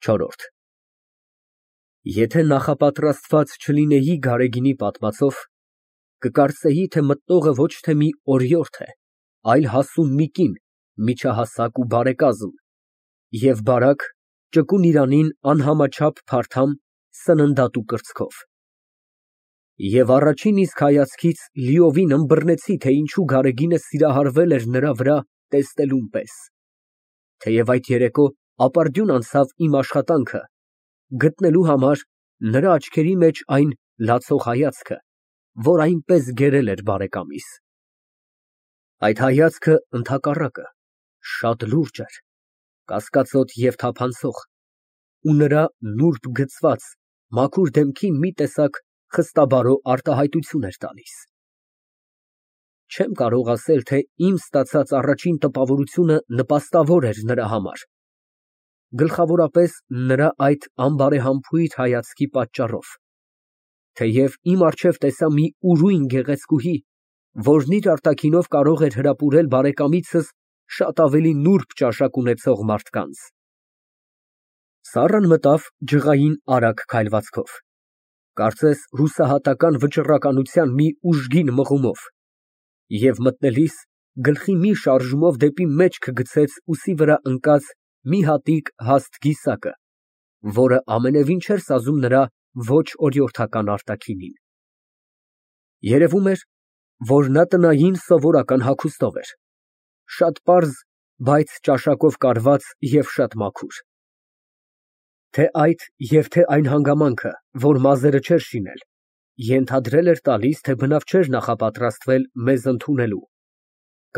ՉՈՐՐՈՐԴ Եթե նախապատրաստված չլինեի Գարեգինի պատմածով, կկարծեի, թե մտնողը ոչ թե մի օրիորդ է, այլ հասուն մի կին, միջահասակ ու բարեկազմ, և բարակ, ճկուն իրանին անհամաչափ փարթամ, սննդատու կրծքով։ Եվ առաջին իսկ հայացքից լիովին ըմբռնեցի, թե ինչու Գարեգինը սիրահարվել էր նրա վրա տեսնելուն պես, թեև այդ երեկո ապարդյուն անցավ իմ աշխատանքը, գտնելու համար նրա աչքերի մեջ այն լացող հայացքը, որ այնպես գերել էր բարեկամիս։ Այդ հայացքը, ընդհակառակը, շատ լուրջ էր, կասկածոտ և թափանցող, ու նրա նուրբ գծված, մաքուր դեմքին մի տեսակ խստաբարո արտահայտություն էր տալիս։ Չեմ կարող ասել, թե իմ ստացած առաջին տպավորությունը նպաստավոր էր նրա համար, գլխավորապես նրա այդ անբարեհամբույր հայացքի պատճառով, թեև իմ առջև տեսա մի ուրույն գեղեցկուհի, որն իր արտաքինով կարող էր հրապուրել բարեկամիցս շատ ավելի նուրբ ճաշակ ունեցող մարդկանց։ Սառան մտավ ջղային արագ քայլվածքով, կարծես հուսահատական վճռականության մի ուժգին մղումով, և մտնելիս գլխի մի շարժումով դեպի մեջքը գցեց ուսի վրա ընկած մի հատիկ հաստ կիսակը, որը ամենևին չէր սազում նրա ոչ օրիորդական արտաքինին։ Երևում էր, որ նա տնային սովորական հագուստով էր, շատ պարզ, բայց ճաշակով կարված և շատ մաքուր։ Թե այդ և թե այն հանգամանքը, որ մազերը չէր շինել, ենթադրել էր տալիս, թե բնավ չէր նախապատրաստվել մեզ ընդունելու,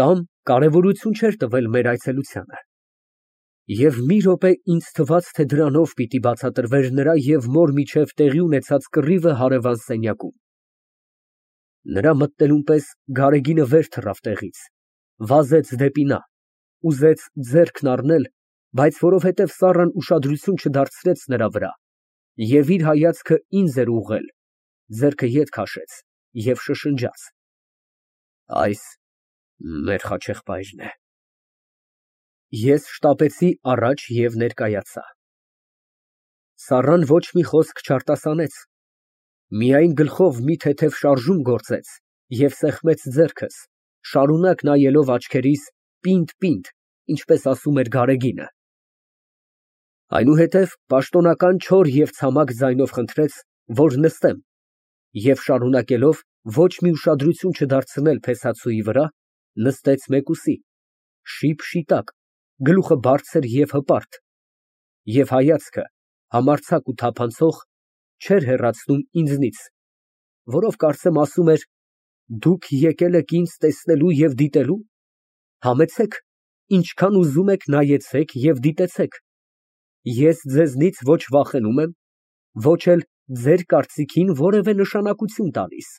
կամ կարևորություն չէր տվել մեր այցելությանը։ Եվ մի րոպե ինձ թվաց, թե դրանով պիտի բացատրվեր նրա և մոր միջև տեղի ունեցած կռիվը հարևան սենյակում։ Նրա մտնելուն պես Գարեգինը վեր թռավ տեղից, վազեց դեպի նա, ուզեց ձեռքն առնել, բայց որովհետև Սառան ուշադրություն չդարձրեց նրա վրա և իր հայացքը ինձ էր ուղղել, ձեռքը ետ քաշեց և շշնջաց. Այս մեր խաչեղբայրն է։ Ես շտապեցի առաջ և ներկայացա։ Սառան ոչ մի խոսք չարտասանեց, միայն գլխով մի թեթև շարժում գործեց և սեղմեց ձեռքս, շարունակ նայելով աչքերիս պինդ, ինչպես ասում էր Գարեգինը։ Այնուհետև պաշտոնական չոր և ցամաք ձայնով խնդրեց, որ նստեմ, և շարունակելով ոչ մի ուշադրություն չդարձնել փեսացուի վրա, նստեց մեկուսի, շիպ շիտակ, գլուխը բարձր և հպարտ, և հայացքը, համարձակ ու թափանցող, չէր հեռացնում ինձնից, որով կարծեմ ասում էր. «Դուք եկել եք ինձ տեսնելու և դիտելու, համեցեք, ինչքան ուզում եք նայեցեք և դիտեցեք, ես ձեզնից ոչ վախենում եմ, ոչ էլ ձեր կարծիքին որևէ նշանակություն տալիս։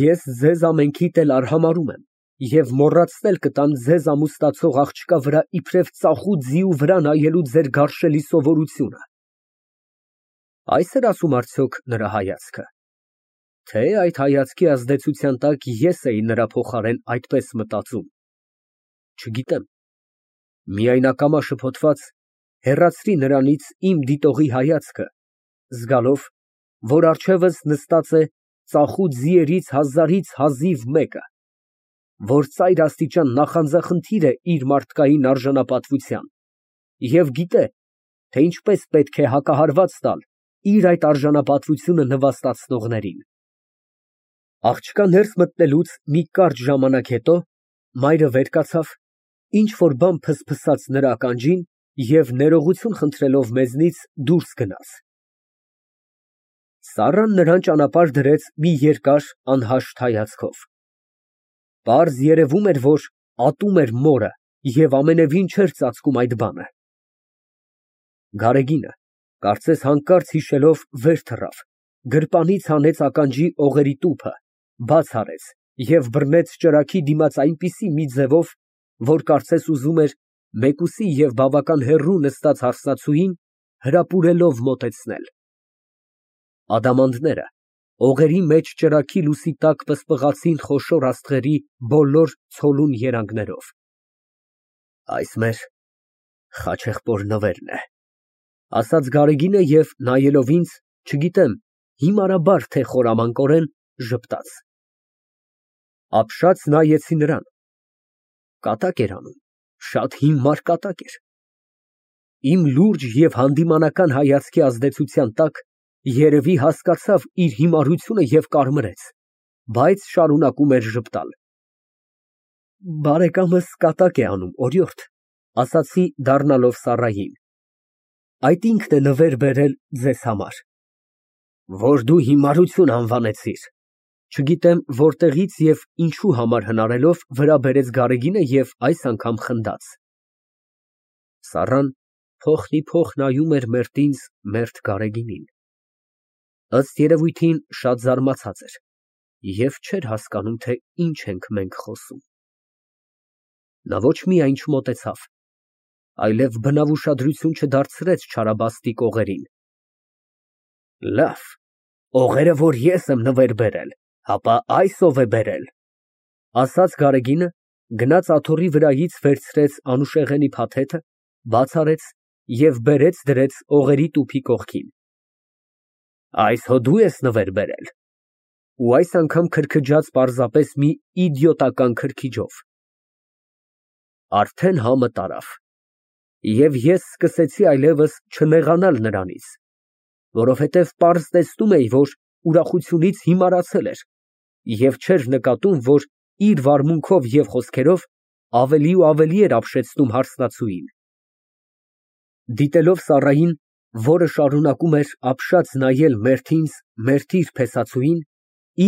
Ես ձեզ ամենքիդ էլ արհամարհում եմ և մոռացնել կտամ ձեզ ամուսնացող աղջկա վրա իբրև ծախու ձիու վրա նայելու ձեր գարշելի սովորությունը»։ Այս էր ասում արդյոք նրա հայացքը, թե այդ հայացքի ազդեցության տակ ես էի նրա փոխարեն այդպես մտածում, չգիտեմ, միայն ակամա շփոթված, հեռացրի նրանից իմ դիտողի հայացքը, զգալով, որ առջևս նստած է ծախու ձիերից հազարից հազիվ մեկը, որ ծայրաստիճան նախանձախնդիր է իր մարդկային արժանապատվության և գիտե, թե ինչպես պետք է հակահարված տալ իր այդ արժանապատվությունը նվաստացնողներին։ Աղջկա ներս մտնելուց մի կարճ ժամանակ հետո մայրը վեր կացավ, ինչ֊որ բան ֆսֆսաց նրա ականջին և ներողություն խնդրելով մեզնից դուրս գնաց։ Սառան նրան ճանապարհ դրեց մի երկար անհաշտ հայացքով։ Պարզ երևում էր, որ ատում էր մորը և ամենևին չէր ծածկում այդ բանը։ Գարեգինը, կարծես հանկարծ հիշելով, վեր թռավ, գրպանից հանեց ականջի օղերի տուփը, բաց արեց և բռնեց ճրագի դիմաց այնպիսի մի ձևով, որ կարծես ուզում էր մեկուսի և բավական հեռու նստած հարսնացուին հրապուրելով մոտեցնել։ Ադամանդները օղերի մեջ ճրագի լույսի տակ պսպղացին խոշոր աստղերի բոլոր ցոլուն երանգներով։ Այս մեր խաչեղբոր նվերն է։ Ասաց Գարեգինը և նայելով ինձ, չգիտեմ հիմարաբար թե խորամանկորեն, ժպտաց։ Ապշած նայեցի նրան։ Կատակ էր անում, շատ հիմար կատակ էր։ Իմ լուրջ և հանդիմանական հայացքի ազդեցության տակ երևի հասկացավ իր հիմարությունը և կարմրեց, բայց շարունակում էր ժպտալ։ Բարեկամս կատակ է անում, օրիորդ, ասացի դառնալով Սառային։ Այդ ինքն է նվեր բերել ձեզ համար։ Որ դու հիմարություն անվանեցիր։ Չգիտեմ որտեղից և ինչու համար հնարելով վրա բերեց Գարեգինը և այս անգամ խնդաց։ Սառան փոխնիփոխ նայում էր մերթ ինձ, մերթ Գարեգինին։ Ըստ երևույթին շատ զարմացած էր և չէր հասկանում, թե ինչ ենք մենք խոսում։ Նա ոչ միայն չմոտեցավ, այլև բնավ ուշադրություն չդարձրեց չարաբաստիկ օղերին։ Լավ, օղերը, որ ես եմ նվեր բերել, հապա այս ով է բերել, ասաց Գարեգինը, գնաց աթոռի վրայից վերցրեց անուշեղենի փաթեթը, բաց արեց և բերեց դրեց օղերի տուփի կողքին։ Այս հո դու ես նվեր բերել։ Ու այս անգամ քրքջաց պարզապես մի իդիոտական քրքիջով։ Արդեն համը տարավ, և ես սկսեցի այլևս չնեղանալ նրանից, որովհետև պարզ տեսնում էի, որ ուրախությունից հիմարացել էր և չէր նկատում, որ իր վարմունքով և խոսքերով ավելի ու ավելի էր ապշեցնում հարսնացուին։ Դիտելով Սառային, որը շարունակում էր ապշած նայել մերթ ինձ, մերթ իր փեսացուին,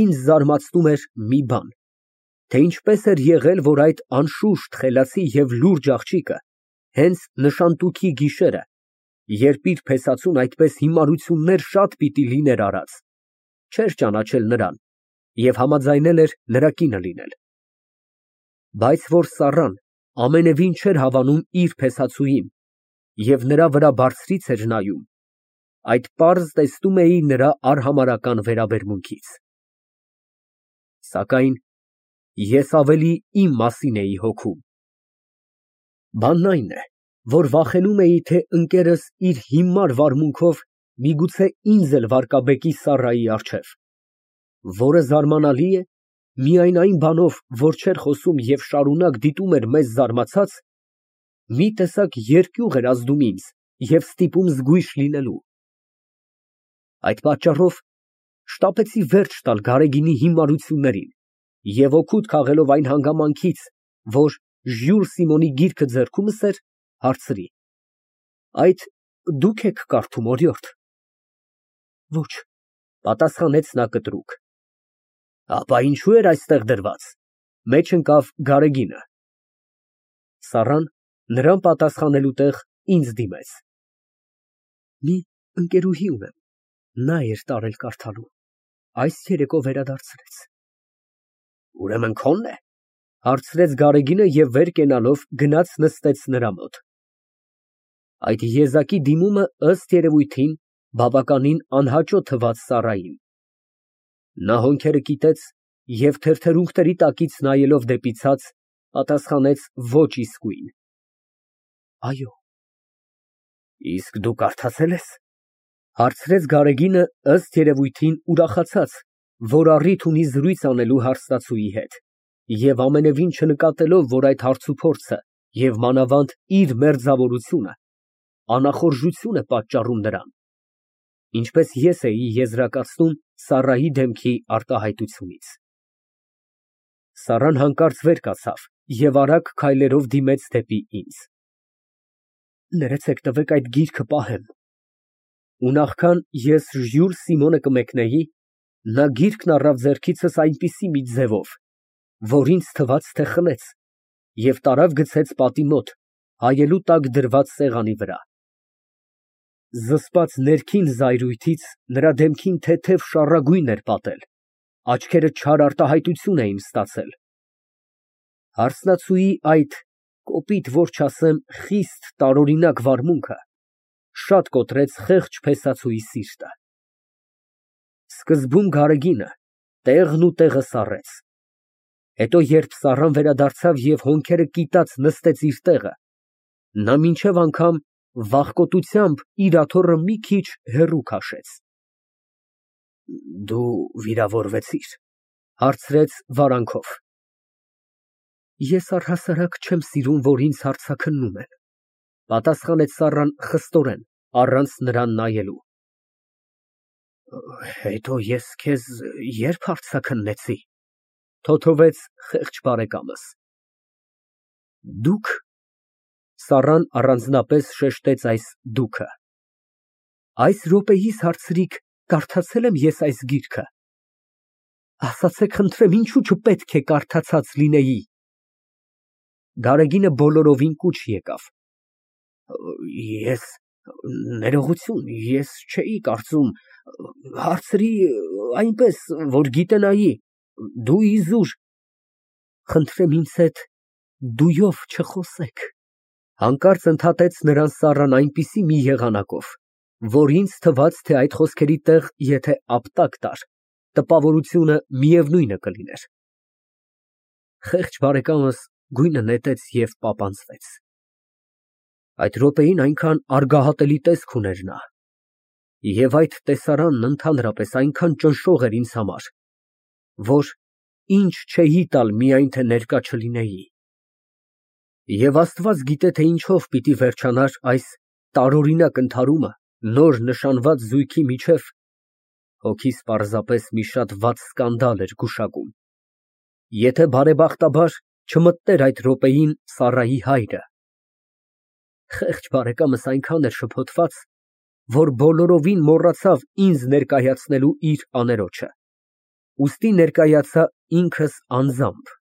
ինձ զարմացնում էր մի բան, թե ինչպես էր եղել, որ այդ անշուշտ խելացի և լուրջ աղջիկը հենց նշանտուքի գիշերը, երբ իր փեսացուն այդպես հիմարություններ շատ պիտի լիներ արած, չէր ճանաչել նրան և համաձայնել էր նրա կինը լինել։ Բայց որ Սառան ամենևին չէր հավանում իր փեսացուին և նրա վրա բարձրից էր նայում, այդ պարզ տեսնում էի նրա արհամարհական վերաբերմունքից։ Սակայն ես ավելի իմ մասին էի հոգում։ Բանն այն է, որ վախենում էի, թե ընկերս իր հիմար վարմունքով միգուցե ինձ էլ վարկաբեկի Սառայի առջև, որը զարմանալի է, միայն այն բանով, որ չէր խոսում և շարունակ դիտում էր մեզ զարմացած, մի տեսակ երկյուղ էր ազդում ինձ և ստիպում զգույշ լինելու։ Այդ պատճառով շտապեցի վերջ տալ Գարեգինի հիմարություններին և օգուտ քաղելով այն հանգամանքից, որ Ժյուլ Սիմոնի գիրքը ձեռքումս էր, հարցրի. Այդ դուք եք կարդում, օրիորդ։ Ոչ, պատասխանեց նա կտրուկ։ Ապա ինչու էր այստեղ դրված, մեջ ընկավ Գարեգինը։ Սառան նրան պատասխանելու տեղ ինձ դիմեց։ Մի ընկերուհի ունեմ, նա էր տարել կարդալու, այս երեկո վերադարձրեց։ Ուրեմն քո՞նն է, հարցրեց Գարեգինը և վեր կենալով գնաց նստեց նրա մոտ։ Այդ եզակի դիմումը ըստ երևույթին բավականին անհաճո թվաց Սառային։ Նա հոնքերը կիտեց և թեթերունքների տակից նայելով դեպի ցած, պատասխանեց ոչ իսկույն։ Այո։ Իսկ դու կարդացե՞լ ես, հարցրեց Գարեգինը ըստ երևույթին ուրախացած, որ առիթ ունի զրույց անելու հարսնացուի հետ, և ամենևին չնկատելով, որ այդ հարցուփորձը և մանավանդ իր մերձավորությունը անախորժություն է պատճառում նրան, ինչպես ես էի եզրակացնում Սառայի դեմքի արտահայտությունից։ Սառան հանկարծ վեր կացավ և արագ քայլերով դիմեց դեպի ինձ։ Ներեցեք, տվեք այդ գիրքը պահեմ։ Ու նախքան ես Ժյուլ Սիմոնը կմեկնեի, նա գիրքն առավ ձեռքիցս այնպիսի մի ձևով, որ ինձ թվաց, թե խլեց, և տարավ գցեց պատի մոտ, հայելու տակ դրված սեղանի վրա։ Զսպած ներքին զայրույթից նրա դեմքին թեթև շառագույն էր պատել, աչքերը չար արտահայտություն էին ստացել։ Հարսնացուի այդ, կոպիտ որ չասեմ, խիստ տարօրինակ վարմունքը շատ կոտրեց խեղճ փեսացուի սիրտը։ Սկզբում Գարեգինը տեղն ու տեղը սառեց, հետո երբ Սառան վերադարձավ և հոնքերը կիտած նստեց իր տեղը, նա մինչև անգամ վախկոտությամբ իր աթոռը մի քիչ հեռու քաշեց։ Դու վիրավորվեցի՞ր, հարցրեց վարանքով։ Ես առհասարակ չեմ սիրում, որ ինձ հարձաքննում են, պատասխանեց Սառան խստորեն, առանց նրան նայելու։ Հետո ես քեզ ե՞րբ հարձաքննեցի, թոթովեց խեղճ բարեկամս։ Դուք, Սառան առանձնապես շեշտեց այս դուքը, այս րոպեիս հարցրիք, կարդացե՞լ եմ ես այս գիրքը։ Ասացեք խնդրեմ, ինչու չպետք է կարդացած լինեի։ Գարեգինը բոլորովին կուչ եկավ։ Ներողություն, ես չէի կարծում, հարցրի այնպես, որ գիտենայի, դու իզուր։ Խնդրեմ ինձ հետ դույով չխոսեք, հանկարծ ընդհատեց նրան Սառան այնպիսի մի եղանակով, որ ինձ թվաց, թե այդ խոսքերի տեղ եթե ապտակ տար, տպավորությունը միևնույնը կլիներ։ Խեղճ բարեկամս գույնը նետեց և պապանձվեց։ Այդ րոպեին այնքան արգահատելի տեսք ուներ նա, և այդ տեսարանն ընդհանրապես այնքան ճնշող էր ինձ համար, որ ինչ չէի տալ միայն թե ներկա չլինեի։ Եվ Աստված գիտե, թե ինչով պիտի վերջանար այս տարօրինակ ընդհարումը նոր նշանված զույգի միջև, հոգիս պարզապես մի շատ վատ սկանդալ էր գուշակում, եթե բարեբախտաբար չմտներ այդ րոպեին Սառայի հայրը։ Խեղճ բարեկամս այնքան էր շփոթված, որ բոլորովին մոռացավ ինձ ներկայացնելու իր աներոջը, ուստի ներկայացա ինքս անձամբ։